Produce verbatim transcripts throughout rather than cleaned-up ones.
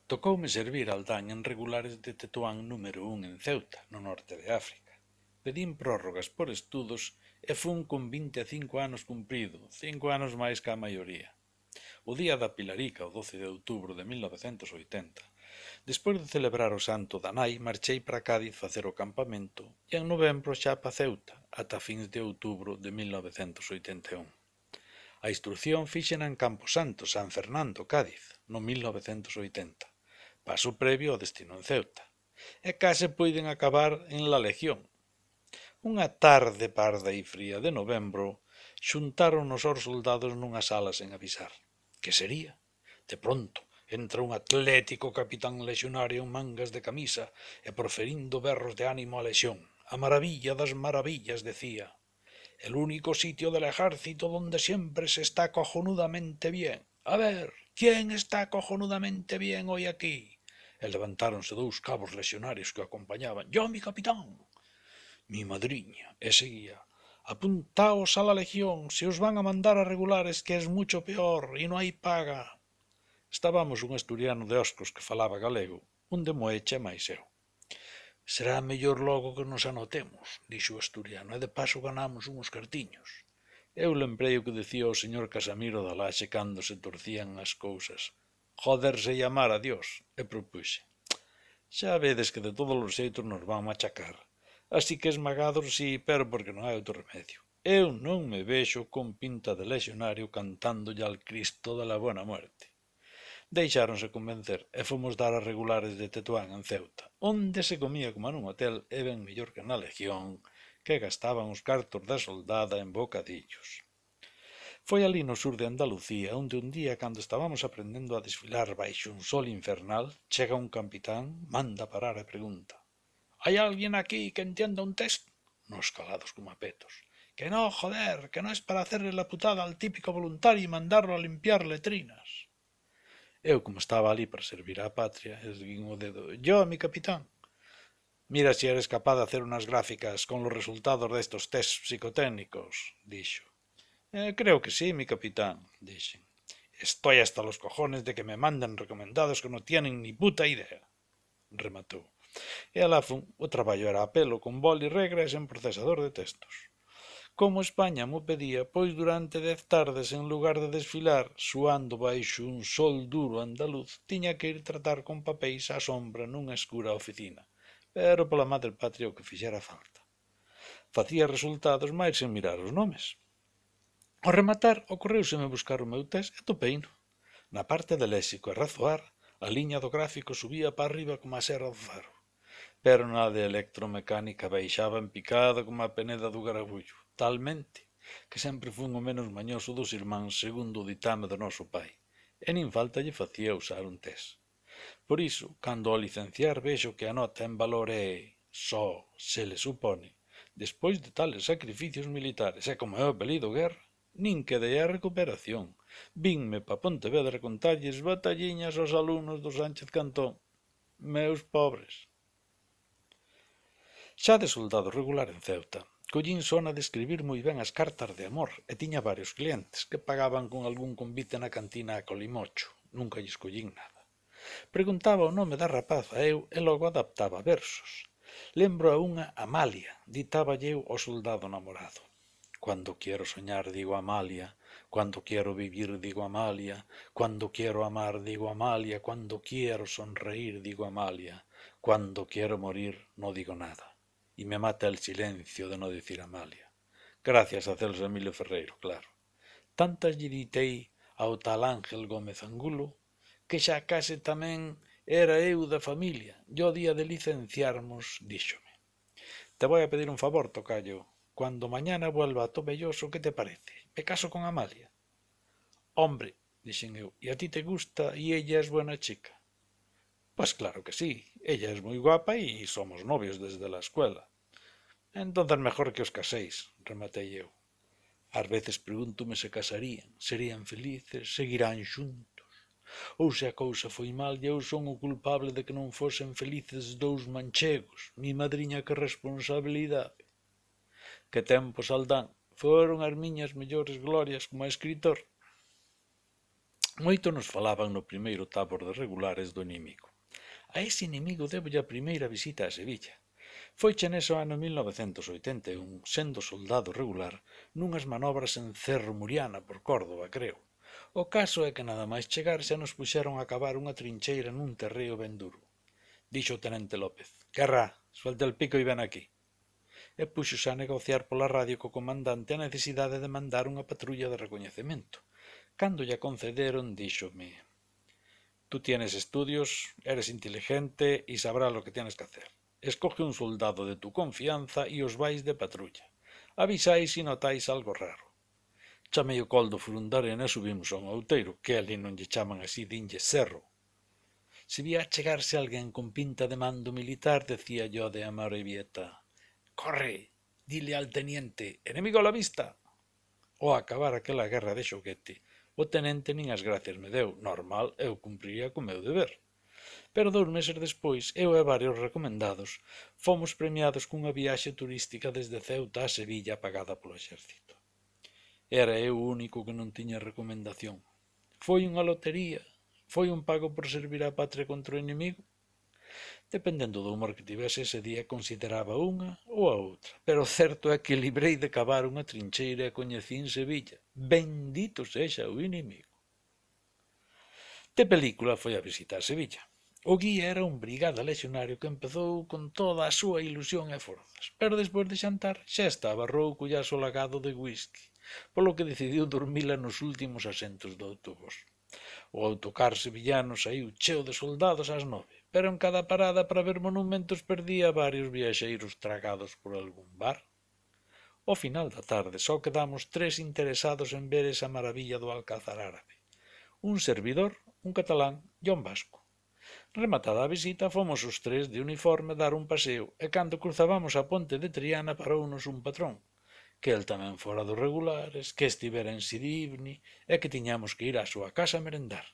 Tocoume servir aldán en regulares de Tetuán número un en Ceuta, no norte de África. Pedín prórrogas por estudos e fun con vinte e cinco anos cumprido, cinco anos máis que a maioría. O día da Pilarica, o doce de outubro de mil novecentos oitenta, despois de celebrar o santo da nai, marchei para Cádiz facer o campamento e en novembro xa pa Ceuta, ata fins de outubro de mil novecentos oitenta e un. A instrucción fíxena en Camposanto, San Fernando, Cádiz, no mil novecentos oitenta, paso previo ao destino en Ceuta, e case puiden acabar en La Legión. Unha tarde parda e fría de novembro, xuntáronos os soldados nunha sala sen avisar. Que sería? De pronto, entra un atlético capitán lexionario en mangas de camisa e proferindo berros de ánimo a lexión. A maravilla das maravillas, decía. El único sitio del ejército donde siempre se está cojonudamente bien. A ver, ¿quién está cojonudamente bien hoy aquí? E levantáronse dous cabos lexionarios que o acompañaban. Yo, mi capitán. Mi madriña, e seguía. Apuntaos a la legión, se os van a mandar a regulares que es mucho peor y no hay paga. Estábamos un asturiano de Oscos que falaba galego, un de Moeche máis eu. Será mellor logo que nos anotemos, dixo o asturiano, e de paso ganamos uns cartiños. Eu lembrei o que dicía o señor Casamiro da Laxe cando se torcían as cousas. Joderse e amar a Dios, e propuxe. Xa vedes que de todos os xeitos nos van machacar. Así que esmagados si, pero porque non hai outro remedio. Eu non me vexo con pinta de lexionario cantándolle al Cristo de la Buena Muerte. Deixáronse convencer e fomos dar as regulares de Tetuán en Ceuta, onde se comía como nun hotel e ben mellor que na Legión, que gastaban os cartos da soldada en bocadillos. Foi ali no sur de Andalucía onde un día, cando estábamos aprendendo a desfilar baixo un sol infernal, chega un capitán, manda parar e pregunta: «Hai alguén aquí que entienda un test?» Nos calados como apetos. «Que no, joder, que no es para hacerle la putada al típico voluntario y mandarlo a limpiar letrinas». Eu, como estaba ali para servir á patria, erguín o dedo. «Yo, mi capitán». «Mira si eres capaz de hacer unas gráficas con los resultados de estos tests psicotécnicos», dixo. Eh, creo que sí, mi capitán, dixen. Estoy hasta los cojones de que me manden recomendados que no tienen ni puta idea, rematou. E alá fun, o traballo era a pelo, con boli, regras en procesador de textos. Como España mo pedía, pois durante dez tardes, en lugar de desfilar, suando baixo un sol duro andaluz, tiña que ir tratar con papéis á sombra nunha escura oficina, pero pola madre patria o que fixera falta. Facía resultados máis sen mirar os nomes. Ao rematar, ocorreuseme buscar o meu test e topeino. Na parte de léxico e razoar, a liña do gráfico subía para arriba como a serra do faro, pero na de electromecánica baixaba en picada como a peneda do garabullo, talmente que sempre fun o menos mañoso dos irmáns segundo o ditame do noso pai, e nin falta lle facía usar un test. Por iso, cando ao licenciar vexo que a nota en valor é só se le supone, despois de tales sacrificios militares e como é o apelido guerra, nin quedei a recuperación. Vinme pa Pontevedra contalles batalliñas aos alumnos do Sánchez Cantón. Meus pobres. Xa de soldado regular en Ceuta, collín sona de escribir moi ben as cartas de amor e tiña varios clientes que pagaban con algún convite na cantina a Colimocho. Nunca lles collín nada. Preguntaba o nome da rapaza eu e logo adaptaba versos. Lembro a unha Amalia, ditáballe eu ao soldado namorado. Cuando quiero soñar digo Amalia, cuando quiero vivir digo Amalia, cuando quiero amar digo Amalia, cuando quiero sonreír digo Amalia, cuando quiero morir no digo nada. Y me mata el silencio de no decir Amalia. Gracias a Celso Emilio Ferreiro, claro. Tantas lle ditei ao tal Ángel Gómez Angulo que xa case tamén era eu da familia. E o día de licenciarmos, díxome: «Te voy a pedir un favor, tocayo. Cuando mañana vuelva a Tomelloso, ¿qué te parece? Me caso con Amalia». «Hombre», dixen eu, «y a ti te gusta y ella es buena chica?» «Pues claro que sí, ella es muy guapa y somos novios desde la escuela». «Entonces mejor que os caséis», rematei eu. Ás veces pregúntome se casarían, serían felices, seguirán xuntos, ou se a cousa foi mal e eu son o culpable de que non fosen felices dous manchegos. Mi madriña, que responsabilidade. Que tempos, Aldán, foron as miñas mellores glorias como escritor. Moito nos falaban no primeiro tabor de regulares do inimigo. A ese inimigo debolle a primeira visita a Sevilla. Foiche neso ano mil novecentos oitenta e un, sendo soldado regular, nunhas manobras en Cerro Muriana por Córdoba, creo. O caso é que nada máis chegar xa nos puxeron a cavar unha trincheira nun terreo ben duro. Dixo o tenente López: «Guerra, suelte el pico e ven aquí». E puxose a negociar pola radio co comandante a necesidade de mandar unha patrulla de recoñecemento. Cando lla concederon, díxome: «Tú tienes estudios, eres inteligente y sabrás lo que tienes que hacer. Escoge un soldado de tu confianza y os vais de patrulla. Avisáis si notáis algo raro». Chamei o coldo Furundarena e subimos a un outeiro, que ali non lle chaman así, dinlle cerro. Se vía chegarse alguén con pinta de mando militar, decía yo de Amorebieta: «Corre, dile al teniente, enemigo a la vista». Ao acabar aquela guerra de xoguete, o tenente nin as gracias me deu, normal, eu cumpriría co meu deber. Pero dous meses despois, eu e varios recomendados fomos premiados cunha viaxe turística desde Ceuta a Sevilla pagada polo exército. Era eu o único que non tiña recomendación. Foi unha lotería? Foi un pago por servir á patria contra o inimigo? Dependendo do humor que tivese ese día, consideraba unha ou a outra, pero o certo é que librei de cavar unha trincheira e coñecín Sevilla. Bendito sexa o inimigo. De película foi a visita a Sevilla. O guía era un brigada lexionario que empezou con toda a súa ilusión e forzas, pero despois de xantar xa estaba rouco e asolagado de whisky, polo que decidiu dormila nos últimos asentos do autobús. O autocar sevillano saiu cheo de soldados ás nove, pero en cada parada para ver monumentos perdía varios viaxeiros tragados por algún bar. Ao final da tarde só quedamos tres interesados en ver esa maravilla do Alcázar árabe: un servidor, un catalán e un vasco. Rematada a visita, fomos os tres de uniforme dar un paseo e cando cruzábamos a ponte de Triana parounos un patrón, que el tamén fora dos regulares, que estivera en Sidibni e que tiñamos que ir á súa casa a merendar.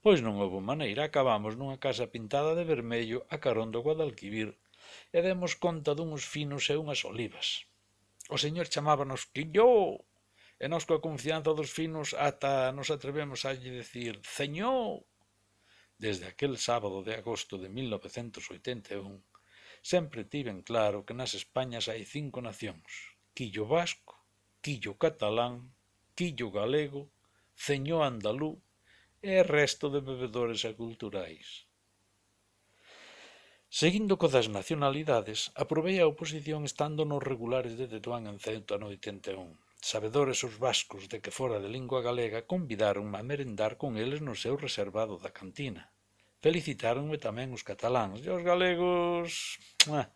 Pois non houbo maneira, acabamos nunha casa pintada de vermello a carón do Guadalquivir e demos conta dunhos finos e unhas olivas. O señor chamábanos Quilló, e nós coa confianza dos finos ata nos atrevemos a lle dicir Ceñó. Desde aquel sábado de agosto de mil novecentos oitenta e un, sempre tiven claro que nas Españas hai cinco nacións: quillo vasco, quillo catalán, quillo galego, ceñó andalú e resto de bebedores aculturais. Seguindo co das nacionalidades, aprobei a oposición estando nos regulares de Tetuán en Ceuta no oitenta e un. Sabedores os vascos de que fora de lingua galega, convidaronme a merendar con eles no seu reservado da cantina. Felicitáronme tamén os cataláns e os galegos... Ah.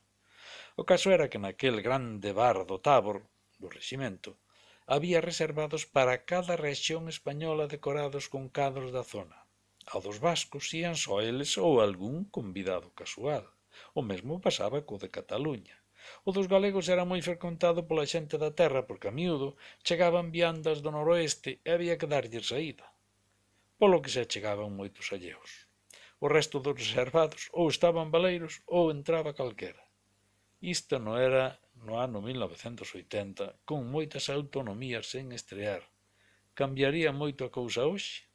O caso era que naquel grande bar do Tabor, do reximento, había reservados para cada rexión española decorados con cadros da zona. Ao dos vascos ían só eles ou algún convidado casual. O mesmo pasaba co de Cataluña. O dos galegos era moi frecuentado pola xente da terra porque a miúdo chegaban viandas do noroeste e había que darlles saída, polo que se chegaban moitos alleos. O resto dos reservados ou estaban baleiros ou entraba calquera. Isto non era no ano mil novecentos oitenta, con moitas autonomías sen estrear. Cambiaría moito a cousa hoxe?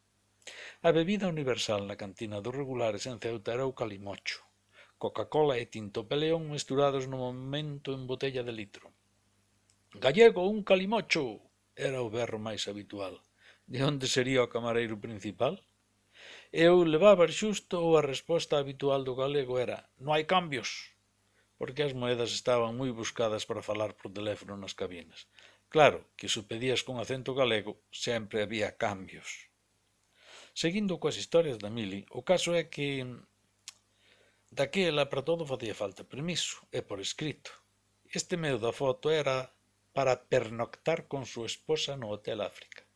A bebida universal na cantina dos regulares en Ceuta era o calimocho. Coca-Cola e tinto peleón mesturados no momento en botella de litro. «Gallego, un calimocho!» era o berro máis habitual. De onde sería o camareiro principal? Eu levaba xusto ou a resposta habitual do galego era «non hai cambios», porque as moedas estaban moi buscadas para falar por teléfono nas cabinas. Claro que se o pedías con acento galego sempre había cambios. Seguindo coas historias da Mili, o caso é que daquela para todo facía falta permiso, e por escrito. Este meu da foto era para pernoctar con súa esposa no Hotel África.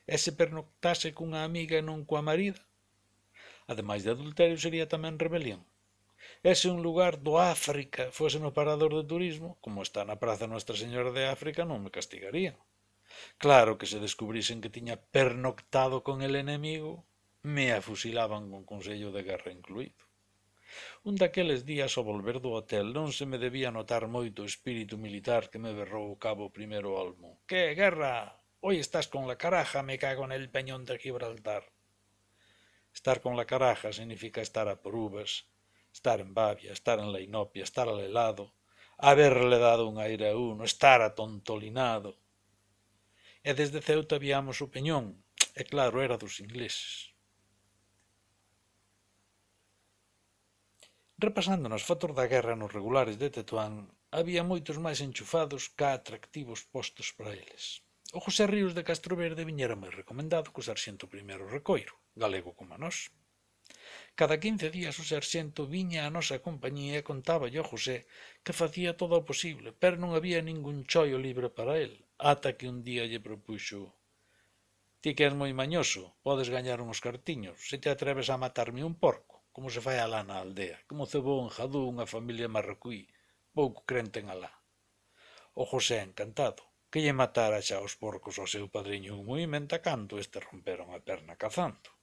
E se pernoctase cunha amiga e non coa marida? Ademais de adulterio, sería tamén rebelión. E se un lugar do África fose no parador de turismo, como está na Praza Nuestra Señora de África, non me castigarían. Claro que se descubrisen que tiña pernoctado con el enemigo, me afusilaban con consello de guerra incluído. Un daqueles días ao volver do hotel non se me debía notar moito o espírito militar que me berrou o cabo primeiro olmo. «Que, guerra? Hoy estás con la caraja, me cago en el peñón de Gibraltar». Estar con la caraja significa estar a por uvas, estar en Babia, estar en la Inopia, estar alelado, haberle dado un aire a uno, estar atontollinado. E desde Ceuta viamos o Peñón, e claro, era dos ingleses. Repasando nas fotos da guerra nos regulares de Tetuán, había moitos máis enchufados ca atractivos postos para eles. O José Ríos de Castroverde viñera moi recomendado co sarxento primeiro Recoiro, galego como a nós. Cada quince días o sarxento viña á nosa compañía e contáballe ao José que facía todo o posible, pero non había ningún choio libre para el, ata que un día lle propuxo: «Ti que és moi mañoso, podes gañar uns cartiños, se te atreves a matarme un porco, como se fai alá na aldea, que mo cebou en Jadú unha familia marroquí, pouco crente en Alá». O José encantado, que lle matara xa os porcos ao seu padriño un movimento cando este romperon a perna cazando.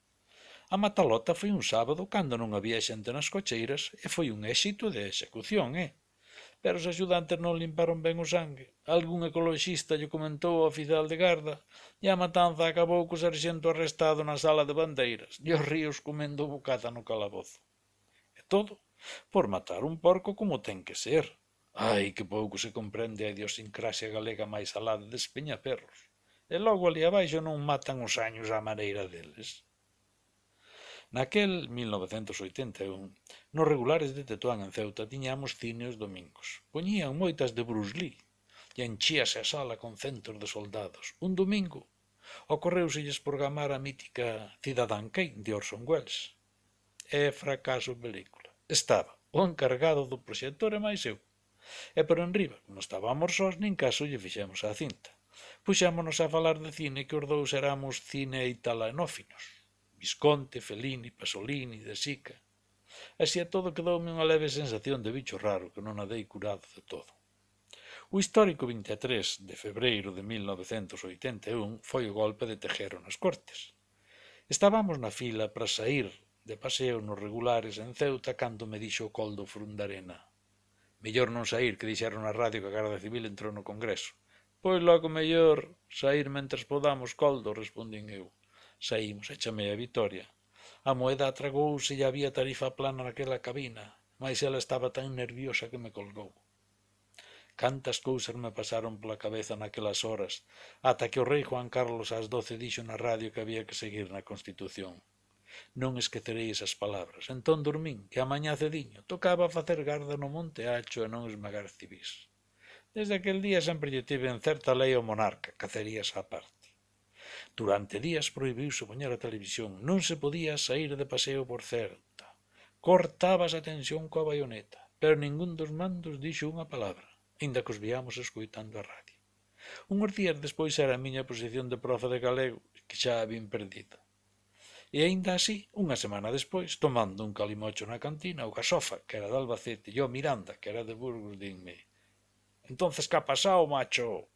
A matalota foi un sábado cando non había xente nas cocheiras e foi un éxito de execución, eh? Pero os axudantes non limparon ben o sangue. Algún ecoloxista lle comentou ao oficial de garda e a matanza acabou co sarxento arrestado na sala de bandeiras e os Ríos comendo bocata no calabozo. E todo por matar un porco como ten que ser. Ai, que pouco se comprende a idiosincrasia galega máis alá de Despeñaperros. E logo ali abaixo non matan os años á maneira deles. Naquel mil novecentos oitenta e un, nos regulares de Tetuán en Ceuta tiñamos cine os domingos. Poñían moitas de Bruce Lee e enchíase a sala con centos de soldados. Un domingo ocorreuselles programar a mítica Cidadán Kane de Orson Welles. É fracaso película. Estaba o encargado do proxector e máis eu. E por enriba, non estábamos sós, nin caso lle fixemos a cinta. Puxámonos a falar de cine que os dous éramos cine italanófinos. Visconti, Fellini, Pasolini, De Sica. Así a todo quedoume unha leve sensación de bicho raro que non a dei curado de todo. O histórico vinte e tres de febreiro de mil novecentos oitenta e un foi o golpe de Tejero nas Cortes. Estábamos na fila para saír de paseo nos regulares en Ceuta cando me dixo o Coldo Frundarena: «Mellor non saír, que dixeron na radio que a Garda Civil entrou no Congreso». «Pois logo mellor saír mentres podamos, Coldo», respondín eu. Saímos e chamei a Vitoria. A moeda atragouse e había tarifa plana naquela cabina, mais ela estaba tan nerviosa que me colgou. Cantas cousas me pasaron pola cabeza naquelas horas, ata que o rei Juan Carlos ás doce dixo na radio que había que seguir na Constitución. Non esquecerei esas palabras. Entón dormín, que a mañá cediño tocaba facer garda no Monte Acho e non esmagar civís. Desde aquel día sempre lle tive en certa lei ao monarca, cacerías á parte. Durante días prohibiuse poñer a televisión, non se podía saír de paseo por Ceuta. Cortabas a tensión coa baioneta, pero ningún dos mandos dixo unha palabra, aínda que os viamos escoitando a radio. Unhos días despois era a miña posición de profe de galego, que xa a vin perdida. E aínda así, unha semana despois, tomando un calimocho na cantina, o Gasofa, que era de Albacete, e o Miranda, que era de Burgos, dinme: «Entonces, que ha pasado, macho?»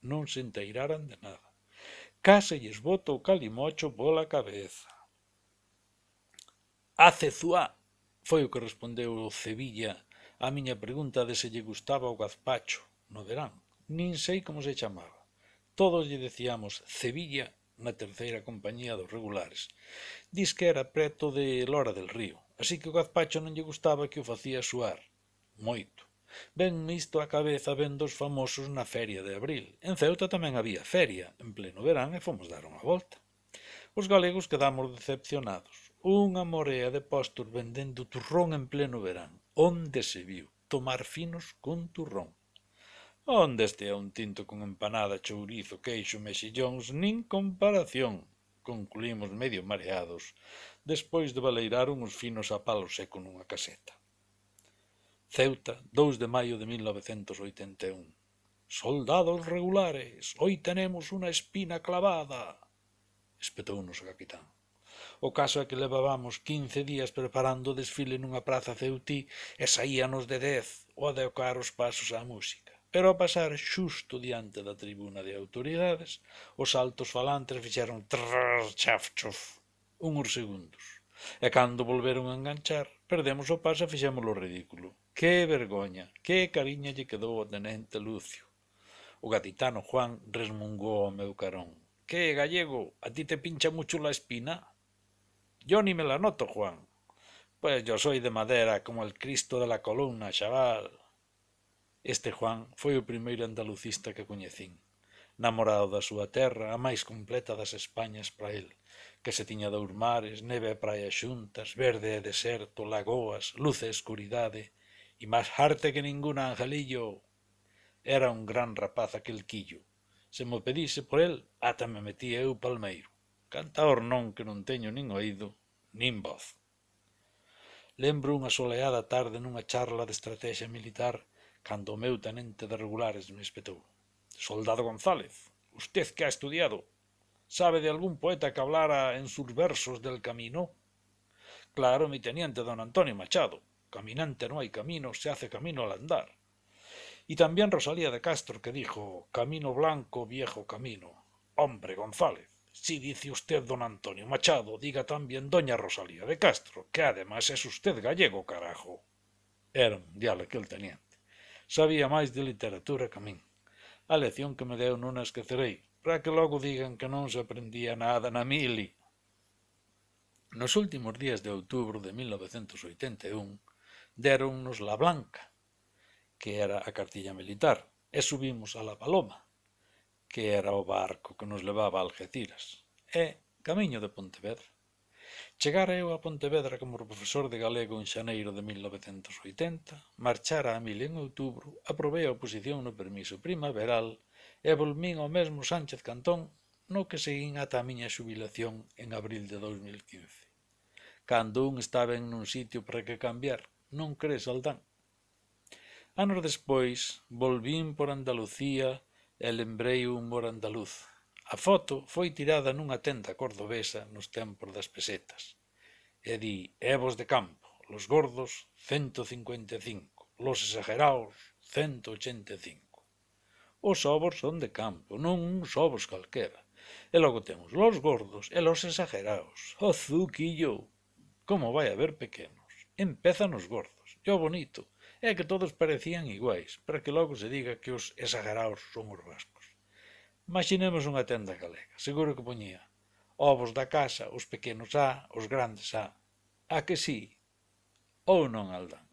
Non se enteiraran de nada. Case lles bota o calimocho pola cabeza. «A Cezuá», foi o que respondeu o Cevilla á miña pregunta de se lle gustaba o gazpacho no verán. Nin sei como se chamaba. Todos lle decíamos Cevilla na terceira compañía dos regulares. Diz que era preto de Lora del Río, así que o gazpacho non lle gustaba, que o facía suar. Moito. Venme isto á cabeza vendo os famosos na feria de abril. En Ceuta tamén había feria, en pleno verán, e fomos dar unha volta. Os galegos quedamos decepcionados. Unha morea de postos vendendo turrón en pleno verán. Onde se viu tomar finos con turrón? Onde estea un tinto con empanada, chourizo, queixo, mexillóns, nin comparación. Concluímos medio mareados, despois de baleirar uns finos a palo seco nunha caseta. Ceuta, dous de maio de mil novecentos oitenta e un. «Soldados regulares, hoy tenemos unha espina clavada», espetounos o capitán. O caso é que levábamos quince días preparando o desfile nunha praza ceutí e saíanos de dez o adecuar os pasos á música. Pero ao pasar xusto diante da tribuna de autoridades, os altos falantes fixeron trrr, chaf, chof, unhos segundos. E cando volveron a enganchar, perdemos o paso e fixémolo ridículo. Que vergoña, que cariña lle quedou ao tenente Lucio. O gaditano Juan resmungou ao meu carón: «Que, gallego, a ti te pincha mucho la espina?» Yo ni me la noto, Juan. Pues yo soy de madera como el Cristo de la columna, chaval. Este Juan foi o primeiro andalucista que coñecín, namorado da súa terra, a máis completa das Españas para el, que se tiña dous mares, neve e praia xuntas, verde e deserto, lagoas, luz e escuridade, e máis arte que ninguna, Angelillo. Era un gran rapaz aquel quillo. Se mo pedise por el, ata me metía eu palmeiro. Cantaor non que non teño nin oído, nin voz. Lembro unha soleada tarde nunha charla de estrategia militar cando o meu tenente de regulares me espetou. Soldado González, usted que ha estudiado, sabe de algún poeta que hablara en sus versos del camino? Claro, mi teniente don Antonio Machado. Caminante no hay camino, se hace camino al andar. Y también Rosalía de Castro, que dijo, camino blanco, viejo camino. Hombre, González, si dice usted don Antonio Machado, diga también doña Rosalía de Castro, que además es usted gallego, carajo. Era un diablo aquel teniente. Sabía máis de literatura que a min. A lección que me deu non a esquecerei, para que logo digan que non se aprendía nada na mili. Nos últimos días de outubro de mil novecentos oitenta e un deronnos la Blanca, que era a cartilla militar, e subimos a la Paloma, que era o barco que nos levaba a Algeciras, e camiño de Pontevedra. Chegara eu a Pontevedra como profesor de galego en xaneiro de mil novecentos oitenta, marchara a mil en outubro, aprobei a oposición no permiso primaveral e volvín ao mesmo Sánchez Cantón no que seguín ata a miña xubilación en abril de dous mil quince. Cando un está ben nun sitio para que cambiar, non crees, Aldán? Anos despois, volvín por Andalucía e lembrei o humor andaluz. A foto foi tirada nunha tenda cordobesa nos tempos das pesetas. E di, evos de campo, los gordos, cento cincuenta e cinco, los exagerados, cento ochenta e cinco. Os ovos son de campo, non uns ovos calquera. E logo temos los gordos e los exagerados. O zuquillo! Como vai haber pequenos? Empezan os gordos. E o bonito é que todos parecían iguais, para que logo se diga que os exagerados son os vascos. Imaginemos unha tenda galega, seguro que poñía ovos da casa, os pequenos a, os grandes a. A que sí? Ou non, Aldán?